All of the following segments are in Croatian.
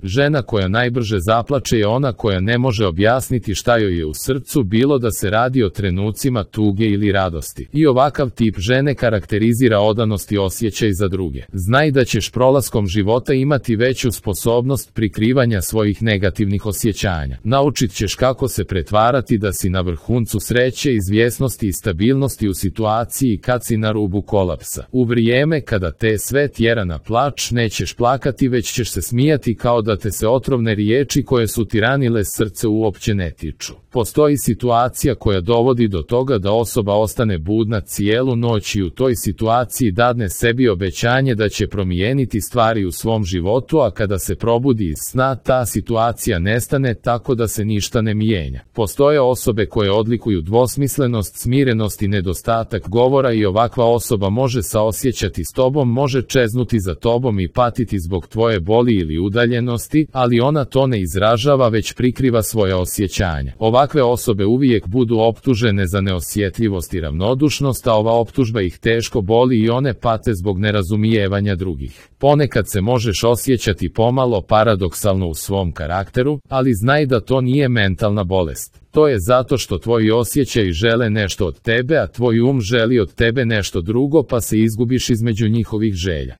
Žena koja najbrže zaplače je ona koja ne može objasniti šta joj je u srcu, bilo da se radi o trenucima tuge ili radosti. I ovakav tip žene karakterizira odanost i osjećaj za druge. Znaj da ćeš prolaskom života imati veću sposobnost prikrivanja svojih negativnih osjećanja. Naučit ćeš kako se pretvarati da si na vrhuncu sreće, izvjesnosti i stabilnosti u situaciji kad si na rubu kolapsa. U vrijeme kada te sve tjera na plač, nećeš plakati, već ćeš se smijati kao da te se otrovne riječi koje su ti ranile srce uopće ne tiču. Postoji situacija koja dovodi do toga da osoba ostane budna cijelu noć i u toj situaciji dadne sebi obećanje da će promijeniti stvari u svom životu, a kada se probudi iz sna, ta situacija nestane tako da se ništa ne mijenja. Postoje osobe koje odlikuju dvosmislenost, smirenost i nedostatak govora i ovakva osoba može saosjećati s tobom, može čeznuti za tobom i patiti zbog tvoje boli ili udaljenosti, ali ona to ne izražava, već prikriva svoja osjećanja. Ovakve osobe uvijek budu optužene za neosjetljivost i ravnodušnost, a ova optužba ih teško boli i one pate zbog nerazumijevanja drugih. Ponekad se možeš osjećati pomalo paradoksalno u svom karakteru, ali znaj da to nije mentalna bolest. To je zato što tvoji osjećaji žele nešto od tebe, a tvoj um želi od tebe nešto drugo, pa se izgubiš između njihovih želja.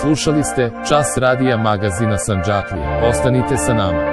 Slušali ste Čas radija magazina Sandžaklija. Ostanite sa nama.